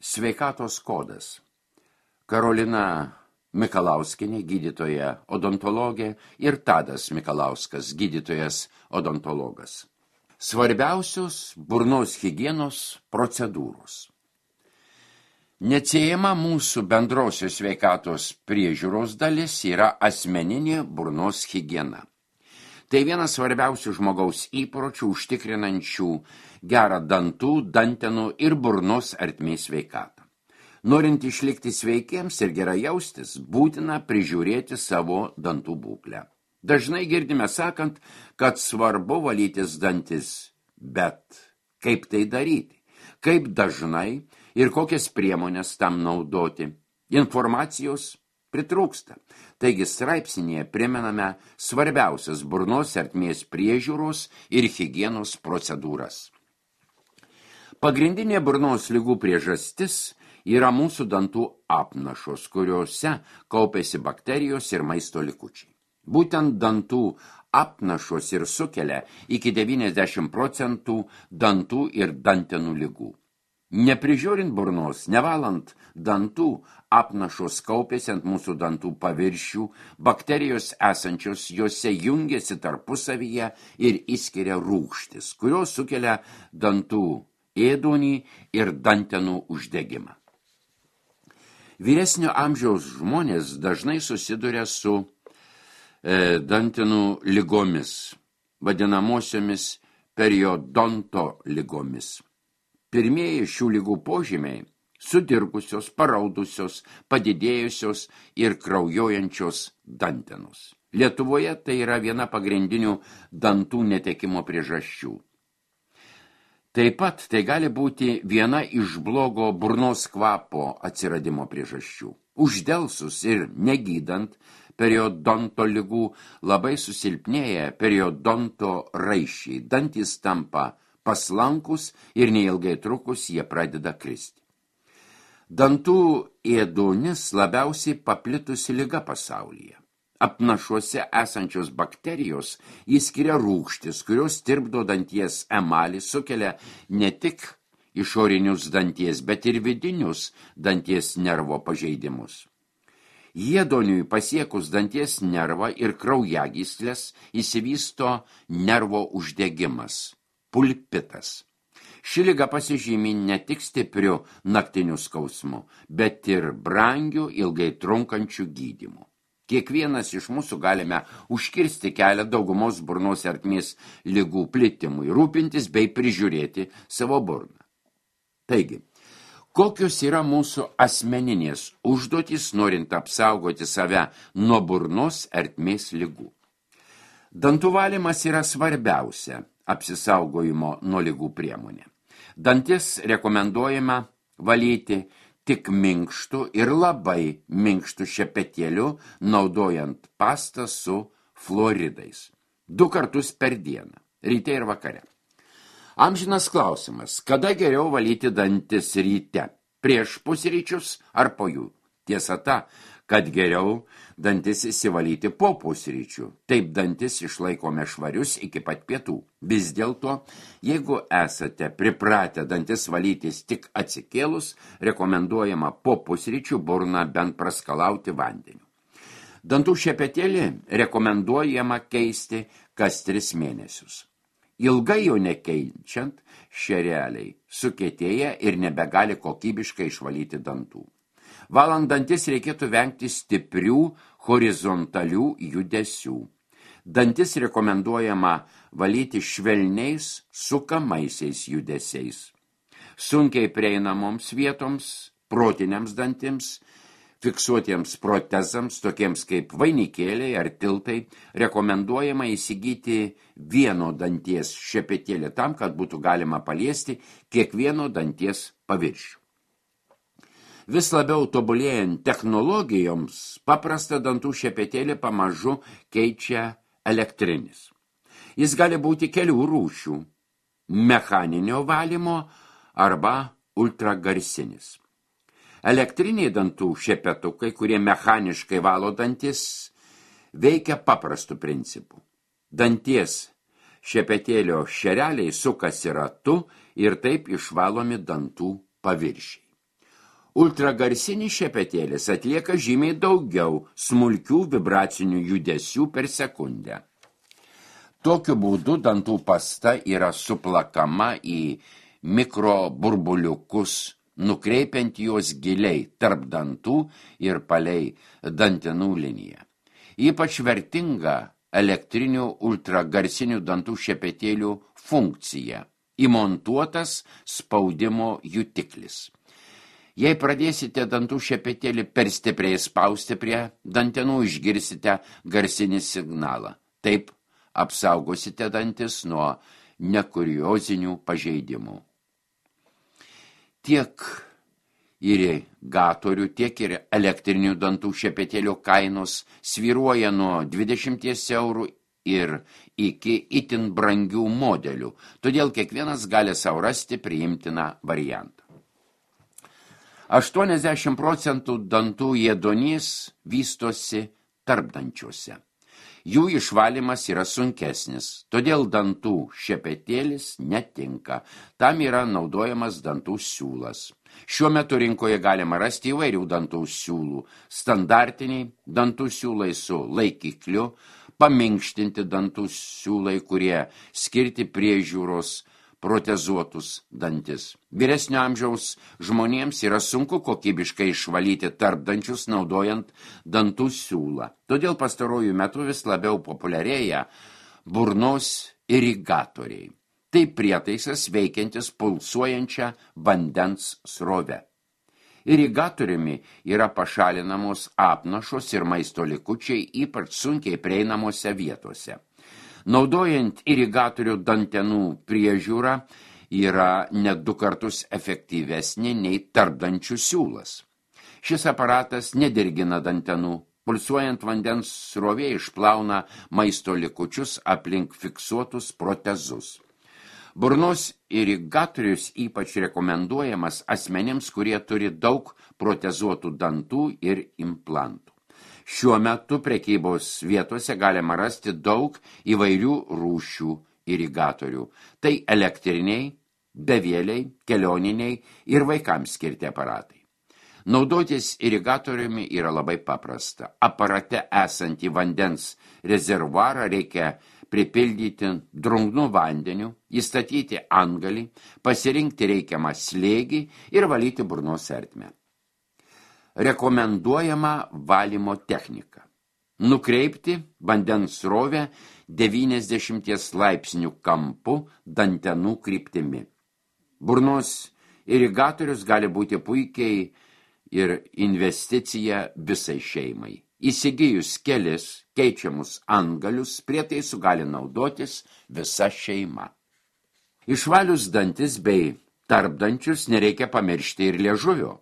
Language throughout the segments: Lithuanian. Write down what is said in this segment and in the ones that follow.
Sveikatos kodas. Karolina Mikalauskienė, gydytoja odontologė, ir Tadas Mikalauskas, gydytojas odontologas. Svarbiausios burnos higienos procedūros. Neatsiejama mūsų bendrosios sveikatos priežiūros dalis yra asmeninė burnos higiena. Tai vienas svarbiausių žmogaus įpročių užtikrinančių gerą dantų, dantenų ir burnos ertmės sveikatą. Norint išlikti sveikiems ir gerai jaustis, būtina prižiūrėti savo dantų būklę. Dažnai girdime sakant, kad svarbu valytis dantis, bet kaip tai daryti, kaip dažnai ir kokias priemonės tam naudoti. Informacijos pritrūksta. Taigi straipsnėje primename svarbiausias burnos ertmės priežiūros ir higienos procedūras. Pagrindinė burnos ligų priežastis yra mūsų dantų apnašos, kuriuose kaupiasi bakterijos ir maisto likučiai. Būtent dantų apnašos ir sukelia iki 90% dantų ir dantenų ligų. Neprižiūrint burnos, nevalant dantų, apnašos kaupiasi ant mūsų dantų paviršių, bakterijos esančios juose jungiasi tarpusavyje ir išskiria rūgštis, kurios sukelia dantų ėduonį ir dantenų uždegimą. Vyresnio amžiaus žmonės dažnai susiduria su dantenų ligomis, vadinamosiomis periodonto ligomis. Pirmieji šių ligų požymiai – sudirgusios, paraudusios, padidėjusios ir kraujuojančios dantenos. Lietuvoje tai yra viena pagrindinių dantų netekimo priežasčių. Taip pat tai gali būti viena iš blogo burnos kvapo atsiradimo priežasčių. Uždelsus ir negydant periodonto ligų labai susilpnėja periodonto raiščiai. Dantys tampa paslankus ir neilgai trukus jie pradeda kristi. Dantų ėduonis labiausiai paplitusi liga pasaulyje. Apnašuose esančios bakterijos įskiria rūgštis, kurios tirpdo danties emalį, sukelia ne tik išorinius danties, bet ir vidinius danties nervo pažeidimus. Ėduoniui pasiekus danties nervą ir kraujagyslės įsivysto nervo uždegimas, pulpitas. Ši liga pasižymi ne tik stipriu naktiniu skausmu, bet ir brangiu ilgai trunkančiu gydymu. Kiekvienas iš mūsų galime užkirsti kelią daugumos burnos ertmės ligų plitimui, rūpintis bei prižiūrėti savo burną. Taigi, kokios yra mūsų asmeninės užduotys, norint apsaugoti save nuo burnos ertmės ligų? Dantų valymas yra svarbiausia apsisaugojimo nuo ligų priemonė. Dantis rekomenduojama valyti tik minkštų ir labai minkštų šepetėlių, naudojant pastą su fluoridais. 2 kartus per dieną, ryte ir vakare. Amžinas klausimas, kada geriau valyti dantis ryte, prieš pusryčius ar po jų? Tiesa ta, kad geriau dantis įsivalyti po pusryčių. Taip dantis išlaikome švarius iki pat pietų. Vis dėlto, jeigu esate pripratę dantis valytis tik atsikėlus, rekomenduojama po pusryčių burną bent praskalauti vandeniu. Dantų šepetėlį rekomenduojama keisti kas 3 mėnesius. Ilgai jo nekeičiant, šereliai sukietėja ir nebegali kokybiškai išvalyti dantų. Valant dantis reikėtų vengti stiprių horizontalių judesių. Dantis rekomenduojama valyti švelniais sukamaisiais judesiais. Sunkiai prieinamoms vietoms, protiniams dantims, fiksuotiems protezams, tokiems kaip vainikėliai ar tiltai, rekomenduojama įsigyti vieno danties šepetėlį tam, kad būtų galima paliesti kiekvieno danties paviršių. Vis labiau tobulėjant technologijoms, paprastą dantų šepetėlį pamažu keičia elektrinis. Jis gali būti kelių rūšių – mechaninio valymo arba ultragarsinis. Elektriniai dantų šepetukai, kurie mechaniškai valo dantis, veikia paprastu principu. Danties šepetėlio šereliai sukasi ratu ir taip išvalomi dantų paviršiai. Ultragarsinis šepetėlis atlieka žymiai daugiau smulkių vibracinių judesių per sekundę. Tokiu būdu dantų pasta yra suplakama į mikroburbuliukus, nukreipiant juos giliai tarp dantų ir palei dantenų liniją. Ypač vertinga elektrinių ultragarsinių dantų šepetėlių funkcija – įmontuotas spaudimo jutiklis. Jei pradėsite dantų šepetėlį per stipriai spausti prie dantenų, išgirsite garsinį signalą. Taip apsaugosite dantis nuo nekuriozinių pažeidimų. Tiek irigatorių, tiek ir elektrinių dantų šepetėlių kainos svyruoja nuo 20 eurų ir iki itin brangių modelių, todėl kiekvienas gali sau rasti priimtiną variantą. 80% dantų ėduonies vystosi tarpdančiuose. Jų išvalymas yra sunkesnis, todėl dantų šepetėlis netinka. Tam yra naudojamas dantų siūlas. Šiuo metu rinkoje galima rasti įvairių dantų siūlų. Standartiniai dantų siūlai su laikikliu, paminkštinti dantų siūlai, kurie skirti priežiūros protezuotus dantis. Vyresnio amžiaus žmonėms yra sunku kokybiškai išvalyti tarpdančius naudojant dantų siūlą. Todėl pastarojų metų vis labiau populiarėja burnos irigatoriai. Tai prietaisas veikiantis pulsuojančią vandens srovę. Irigatoriumi yra pašalinamos apnašos ir maisto likučiai ypač sunkiai prieinamose vietose. Naudojant irigatorių dantenų priežiūrą yra net 2 kartus efektyvesnė nei tarpdančių siūlas. Šis aparatas nedirgina dantenų. Pulsuojant vandens srovė išplauna maisto likučius aplink fiksuotus protezus. Burnos irigatorius ypač rekomenduojamas asmenims, kurie turi daug protezuotų dantų ir implantų. Šiuo metu prekybos vietose galima rasti daug įvairių rūšių irigatorių. Tai elektriniai, bevėliai, kelioniniai ir vaikams skirti aparatai. Naudotis irigatoriumi yra labai paprasta. Aparate esantį vandens rezervuarą reikia pripildyti drungnų vandeniu, įstatyti antgalį, pasirinkti reikiamą slėgį ir valyti burnos ertmę. Rekomenduojama valymo technika. Nukreipti vandens srovę 90 laipsnių kampu dantenų kryptimi. Burnos irigatorius gali būti puikiai ir investicija visai šeimai. Įsigijus kelis keičiamus antgalius, prietaisų gali naudotis visa šeima. Išvalius dantis bei tarpdančius nereikia pamiršti ir liežuvio.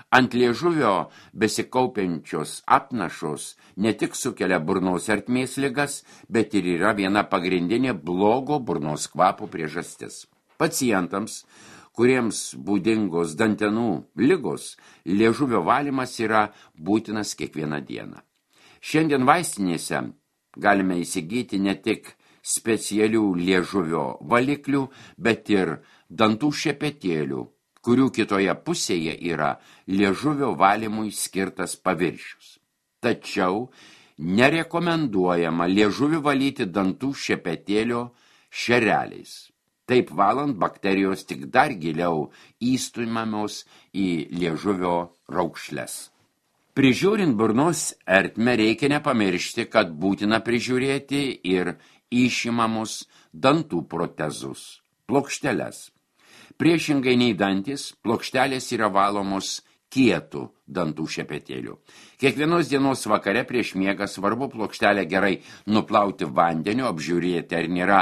Ant liežuvio besikaupiančios apnašos ne tik sukelia burnos ertmės ligas, bet ir yra viena pagrindinė blogo burnos kvapo priežastis. Pacientams, kuriems būdingos dantenų ligos, liežuvio valymas yra būtinas kiekvieną dieną. Šiandien vaistinėse galime įsigyti ne tik specialių liežuvio valiklių, bet ir dantų šepetėlių, kurių kitoje pusėje yra liežuvio valymui skirtas paviršius. Tačiau nerekomenduojama liežuvį valyti dantų šepetėlio šereliais. Taip valant bakterijos tik dar giliau įstumiamos į liežuvio raukšles. Prižiūrint burnos ertmę reikia nepamiršti, kad būtina prižiūrėti ir išimamus dantų protezus, plokšteles. Priešingai nei dantis, plokštelės yra valomos kietų dantų šepetėlių. Kiekvienos dienos vakare prieš miegą svarbu plokštelę gerai nuplauti vandeniu, apžiūrėti, ar nėra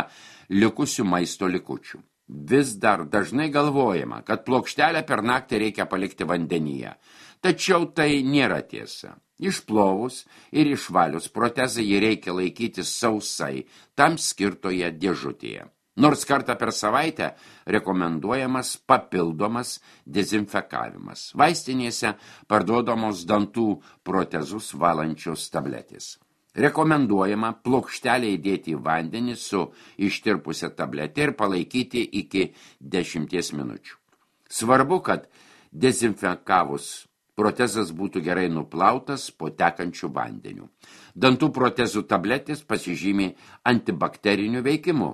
likusių maisto likučių. Vis dar dažnai galvojama, kad plokštelę per naktį reikia palikti vandenyje. Tačiau tai nėra tiesa. Išplovus ir išvalius protezą jį reikia laikyti sausai, tam skirtoje dėžutėje. Nors kartą per savaitę rekomenduojamas papildomas dezinfekavimas. Vaistinėse parduodamos dantų protezus valančios tabletės. Rekomenduojama plokštelę įdėti į vandenį su ištirpusią tabletę ir palaikyti iki 10 minučių. Svarbu, kad Dezinfekavus protezas būtų gerai nuplautas po tekančių vandeniu. Dantų protezų tabletės pasižymi antibakteriniu veikimu.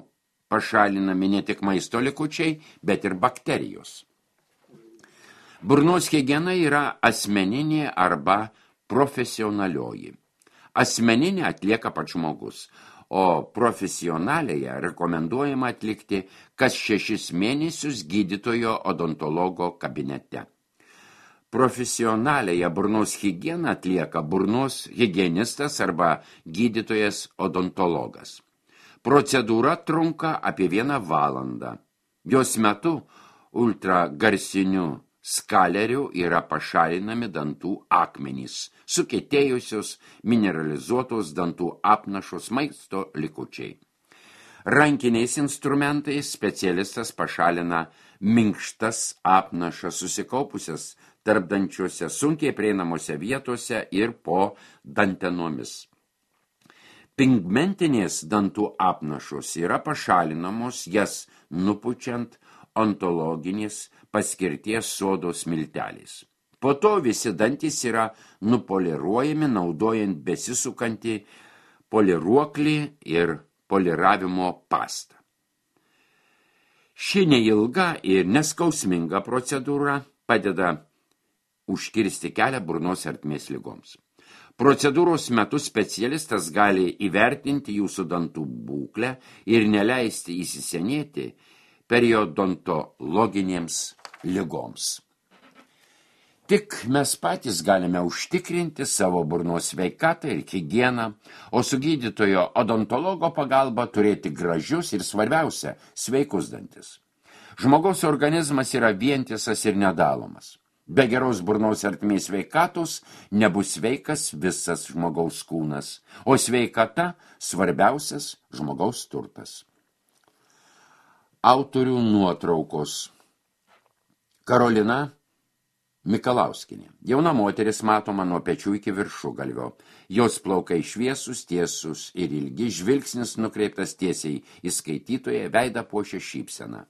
Pašalinami ne tik maisto likučiai, bet ir bakterijos. Burnos higiena yra asmeninė arba profesionalioji. Asmeninė atlieka pats žmogus, o profesionalėje rekomenduojama atlikti kas 6 mėnesius gydytojo odontologo kabinete. Profesionalėje burnos higieną atlieka burnos higienistas arba gydytojas odontologas. Procedūra trunka apie 1 valandą. Jos metu ultragarsiniu skaleriu yra pašalinami dantų akmenys, sukietėjusios, mineralizuotos dantų apnašos, maisto likučiai. Rankiniais instrumentais specialistas pašalina minkštas apnašas susikaupusias tarpdančiuose sunkiai prieinamose vietose ir po dantenomis. Pigmentinės dantų apnašos yra pašalinamos, jas nupučiant ontologinės paskirties sodos milteliais. Po to visi dantys yra nupoliruojami naudojant besisukantį poliruoklį ir poliravimo pastą. Ši neilga ir neskausminga procedūra padeda užkirsti kelią burnos ertmės ligoms. Procedūros metu specialistas gali įvertinti jūsų dantų būklę ir neleisti įsisenėti periodontologinėms ligoms. Tik mes patys galime užtikrinti savo burnos sveikatą ir higieną, o su gydytojo odontologo pagalba turėti gražius ir svarbiausia sveikus dantis. Žmogaus organizmas yra vientisas ir nedalomas. Be geros burnos ertmės sveikatos nebus sveikas visas žmogaus kūnas, o sveikata svarbiausias žmogaus turtas. Autorių nuotraukos. Karolina Mikalauskienė. Jauna moteris matoma nuo pečių iki viršugalvio. Jos plaukai šviesus, tiesus ir ilgi, žvilgsnis nukreiptas tiesiai į skaitytoją, veidą puošia šypsena.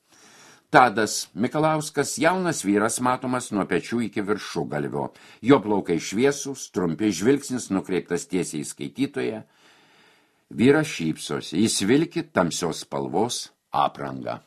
Tadas Mikalauskas, jaunas vyras, matomas nuo pečių iki viršugalvio. Jo plaukai šviesus, trumpi, žvilgsnis nukreiptas tiesiai į skaitytoją. Vyras šypsosi, jis vilki tamsios spalvos aprangą.